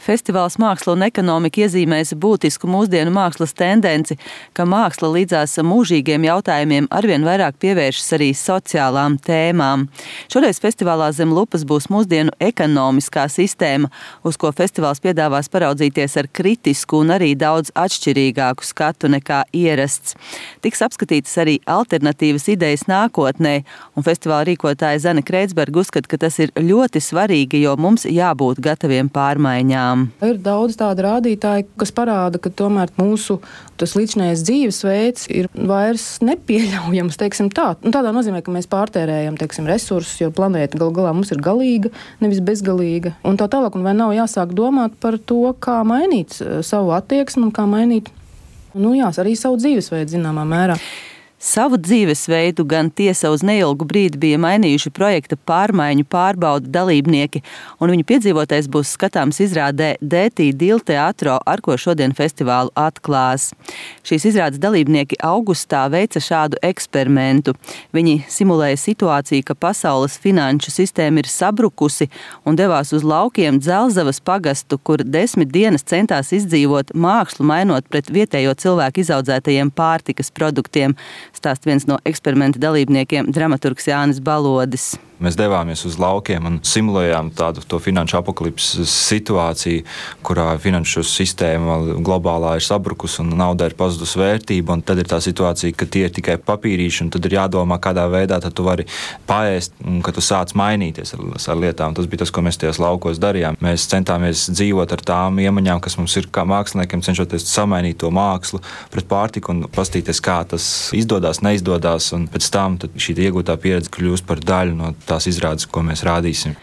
Festivāls Māksla un ekonomika iezīmēs būtisku mūsdienu mākslas tendenci, ka māksla līdzās mūžīgiem jautājumiem arvien vairāk pievēršas arī sociālām tēmām. Šoreiz festivālā zem lupas būs mūsdienu ekonomiskā sistēma, uz ko festivāls piedāvās paraudzīties ar kritisku un arī daudz atšķirīgāku skatu nekā ierasts. Tiks apskatītas arī alternatīvas idejas nākotnē, un festivāla rīkotāja Zane Kreitsberga uzskata, ka tas ir ļoti svarīgi, jo mums jābūt gataviem pārmaiņām. Ir daudz tādu rādītāju, kas parāda, ka tomēr mūsu līdzinājais dzīvesveids ir vairs nepieļaujams, teiksim tā. Tādā nozīmē, ka mēs pārtērējam, teiksim, resursus, jo planēta gal galā mums ir galīga, nevis bezgalīga. Un tā tālāk, un vai nav jāsāk domāt par to, kā mainīt savu attieksmi un kā mainīt, arī savu dzīvesveidu zināmā mērā. Savu dzīvesveidu gan tiesa uz neilgu brīdi bija mainījuši projekta pārmaiņu pārbaudu dalībnieki, un viņu piedzīvotais būs skatāms izrādē Dētī Dil teatro, ar ko šodien festivālu atklās. Šīs izrādes dalībnieki augustā veica šādu eksperimentu. Viņi simulēja situāciju, ka pasaules finanšu sistēma ir sabrukusi un devās uz laukiem Dzelzavas pagastu, kur 10 dienas centās izdzīvot mākslu, mainot pret vietējo cilvēku izaudzētajiem pārtikas produktiem. Stāst viens no eksperimenta dalībniekiem, dramaturgs Jānis Balodis. Mēs devāmies uz laukiem un simulējām to finanšu apokalipses situāciju, kurā finanšu sistēma globālā ir sabrukusi un naudai ir pazudusi vērtība. Un tad ir tā situācija, ka tie ir tikai papīrīši, un tad ir jādomā, kādā veidā tu vari paēst un ka tu sāc mainīties ar lietām. Tas bija tas, ko mēs tajos laukos darījām. Mēs centāmies dzīvot ar tām iemaņām, kas mums ir kā māksliniekiem, cenšoties samainīt to mākslu pret pārtiku un pastīties, kā tas izdodas, neizdodas. Un pēc tam šī iegūtā pieredze kļūst par daļu no tās izrādes, ko mēs rādīsim.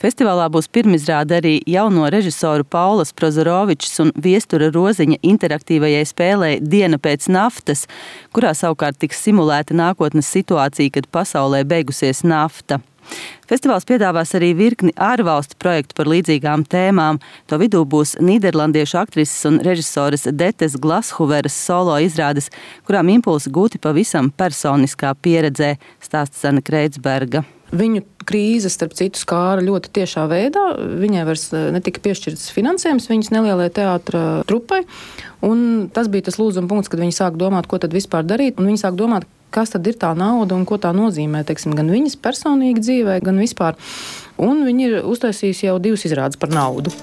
Festivālā būs pirmizrāde arī jauno režisoru Paulas Prozorovičs un Viestura Roziņa interaktīvajai spēlei Diena pēc naftas, kurā savukārt tiks simulēta nākotnes situācija, kad pasaulē beigusies nafta. Festivāls piedāvās arī virkni ārvalstu projektu par līdzīgām tēmām. To vidū būs nīderlandiešu aktrises un režisoras Detes Glashuveras solo izrādes, kurām impulsi gūti pavisam personiskā pieredzē, stāsta Zane Kreitsberga. Viņu krīze, starp citu, skāra ļoti tiešā veidā. Viņai vairs netika piešķirts finansējums viņas nelielai teātra trupai. Un tas bija tas lūzuma punkts, kad viņi sāk domāt, ko tad vispār darīt. Un viņi sāk domāt, kas tad ir tā nauda un ko tā nozīmē, teiksim, gan viņas personīgi dzīvē, gan vispār. Un viņi ir uztaisījusi jau 2 izrādes par naudu.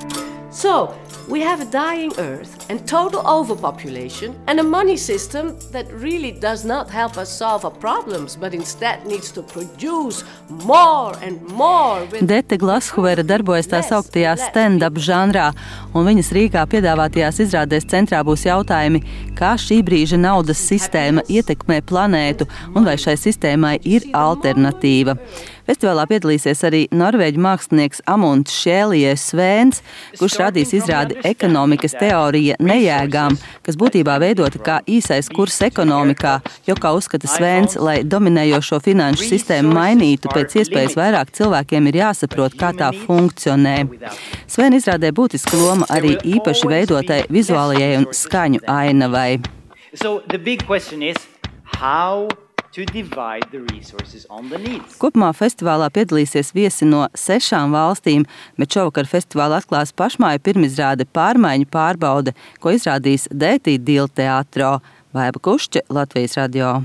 So, we have a dying earth and total overpopulation and a money system that really does not help us solve our problems, but instead needs to produce more and more. Dete Glashuvera darbojas tā sauktajā stand-up žanrā, un viņas Rīgā piedāvātajās izrādēs centrā būs jautājumi, kā šī brīža naudas sistēma ietekmē planētu un vai šai sistēmai ir alternatīva. Festivālā piedalīsies arī norvēģu mākslinieks Amunds Šēlijē Svēns, kurš radīs izrādi ekonomikas teorija nejēgām, kas būtībā veidota kā īsais kurs ekonomikā, jo, kā uzskata Svēns, lai dominējošo finanšu sistēmu mainītu, pēc iespējas vairāk cilvēkiem ir jāsaprot, kā tā funkcionē. Svēna izrādē būtiska loma arī īpaši veidotai vizuālajai un skaņu ainavai. Kopumā festivālā piedalīsies viesi no 6 valstīm, bet šovakar festivāla atklās pašmāju pirmizrāde Pārmaiņu pārbaude, ko izrādīs Dētī Dil teatro. Baiba Kušķe, Latvijas radio.